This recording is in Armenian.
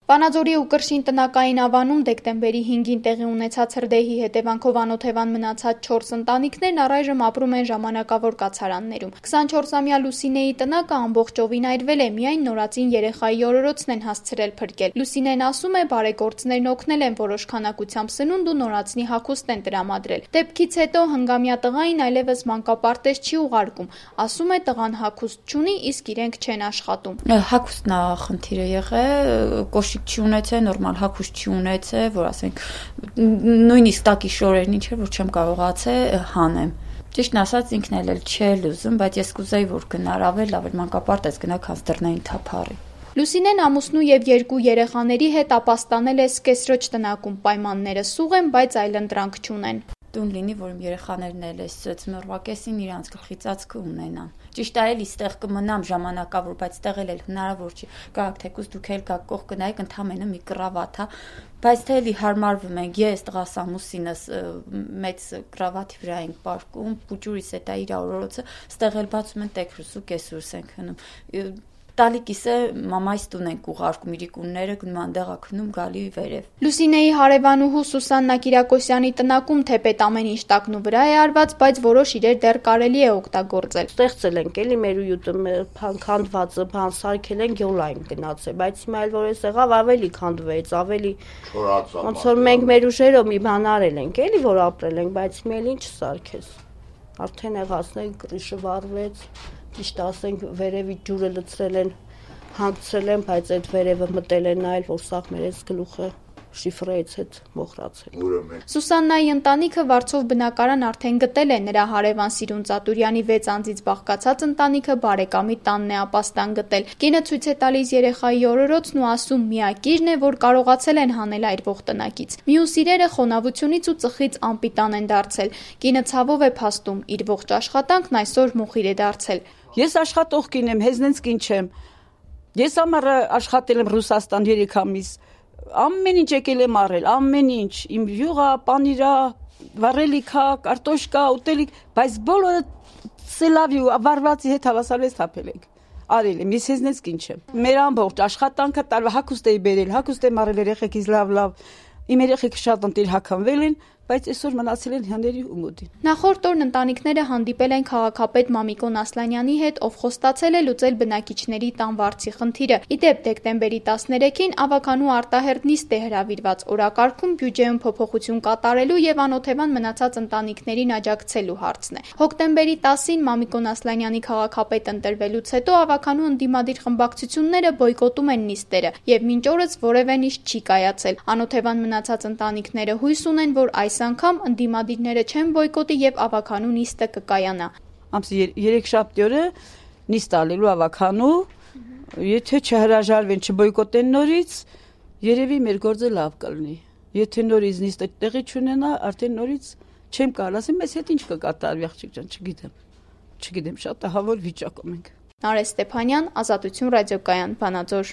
Վանաձորի ու Կրշին տնակային ավանում դեկտեմբերի 5-ին տեղի ունեցած հրդեհի հետևանքով անօթևան մնացած 4 ընտանիքներն առայժմ ապրում են ժամանակավոր կացարաններում։ 24-ամյա Լուսինեի տնակը ամբողջովին այրվել է, միայն նորածին երեխայի օրորոցն են հասցրել փրկել։ Լուսինեն ասում է, բարեգործներն օգնել են որոշ քանակությամբ սնունդ ու նորածնի հագուստ են տրամադրել։ Դեպքից հետո հնգամյա տղային այլևս մանկապարտեզ չի ուղարկում։ Ասում է, տղան հագուստ չունի, իսկ իրենք չեն աշխատում։ Հագուստն է խնդիրը եղել, չի ունեցել, նորմալ հագուստ չի ունեցել, որ ասենք նույնիսկ տակի շորերն ինչ էր, որ չեմ կարողացել հանեմ։ Ճիշտն ասած ինքն էլ չէր ուզում, բայց ես կուզեի, որ գնար ավելի լավ մանկապարտեզ գնա, քան դռներին թափառի։ Լուսինեն ամուսնու եւ 2 երեխաների հետ ապաստանել է սկեսրոջ տնակում, պայմանները սուղ են, բայց այլընտրանք չունեն։ Տուն լինի, որ իմ երեխաներն էլ էս ծմռվակեսին իրանց գլխի ծածկը ունենան։ Ճիշտ է, էլի ստեղ կմնամ ժամանակավոր, բայց ստեղ էլ հնարավոր չի։ Գաք թեկուզ դուք էլ գաք կողք գնայիք ընդամենը մի կրավատ, հա։ Բայց թե էլի հարմարվում ենք, ես տղաս ամուսինս մեծ կրավատի վրա ենք պարկում, փուճուրիս է դա իր օրորոցը, ստեղ էլ բացում են տեքրուս ու կեսրուս ենք հնում։ Տալիկիս է մամայիս տուն ենք ուղարկում, իրիկունները գնում անդեղ ակնում գալի վերև։ Լուսինեի հարևանուհու Սուսաննա Կիրակոսյանի տնակում թեպետ ամեն ինչ տակնու վրա է արված, բայց որոշ իրեր դեռ կարելի է օգտագործել։ Ստեղծել ենք էլի մեր ույուտը, քանդվածը, բան սարքել են, յոլային գնացել, բայց հիմա էլ որ էս եղավ ավելի քանդվեց, ավելի ոնց որ մենք մեր ուժերով մի բան արել ենք, էլի որ ապրել ենք, բայց հիմա էլ ինչ սարքես։ Արդեն եղածներ կրիշը վառվեց, ճիշտ ասենք վերևի ջուրը լցրել են, հանգցրել են, բայց այդ վերևը մտել են նայել, որ սաղ մեր այս գլուխը շիֆրեից հետ մոխրացել։ Սուսաննայի ընտանիքը Վարձով բնակարան արդեն գտել է, նրա հարևան Սիրուն Ծատուրյանի 6 անձից բաղկացած ընտանիքը բարեկամի տանն է ապաստան գտել։ Կինը ցույց է տալիս երեխայի օրորոցն ու ասում, միակիրն է, որ կարողացել են հանել այրվող տնակից։ Մյուս իրերը խոնավությունից ու ծխից անպիտան են դարձել։ Կինը ցավով է փաստում, իր ողջ աշխատանքն այսօր մոխիր է դարձել։ Ես աշխատող կին եմ, հեզնենց կին չեմ։ Ես ամառը աշխատել եմ Ռուսաստան 3 ամիս։ Ամեն ինչ եկել եմ առել, ամեն ինչ, իմ յուղա, պանիրա, վառելիքա, կարտոշկա, ուտելիք, բայց բոլորը սելավի ու վարվածի հետ հավասարվեց թափել ենք։ Արել եմ, ես հեզնեց կին չեմ։ Մեր ամբողջ աշխատանքը տարվա հագուստ էի բերել, հագուստ եմ առել երեխեքից լավ, իմ երեխեքը շատ ընտիր հագանվել են, բայց այսօր մնացել են հյաների ու մոդին։ Նախորդ օրն ընտանիքները հանդիպել են քաղաքապետ Մամիկոն Ասլանյանի հետ, ով խոստացել է լուծել բնակիչների տան վարձի խնդիրը։ Իդեպ դեկտեմբերի 13-ին ավականու արտահերտ նիստ է հրավիրված օրակարգում բյուջեում փոփոխություն կատարելու եւ անօթևան մնացած ընտանիքներին աջակցելու հարցն է։ Հոկտեմբերի 10-ին Մամիկոն Ասլանյանի քաղաքապետ ընտրվելուց հետո ավականու ընդդիմադիր խմբակցությունները բոյկոտում են նիստերը եւ մինչ օրս որևէ նիստ չի կայացել։ Անօթևան մնացած ընտանիքները հույս ունեն, որ այս անգամ ընդդիմադիրները չեն բոյկոտի եւ ավականու նիստը կկայանա։ Ամսի 3 շաբթի օրը նիստ ալելու ավականու, եթե չհրաժարվեն, չբոյկոտեն նորից, երևի մեր գործը լավ կլինի։ Եթե նորից նիստը տեղի չունենա, արդեն նորից չեմ կարող ասեմ, մեզ հետ ինչ կկատարվի, աղջիկ ջան, չգիտեմ, շատ ահավոր վիճակում ենք։ Նարէ Ստեփանյան, Ազատություն ռադիոկայան, Վանաձոր։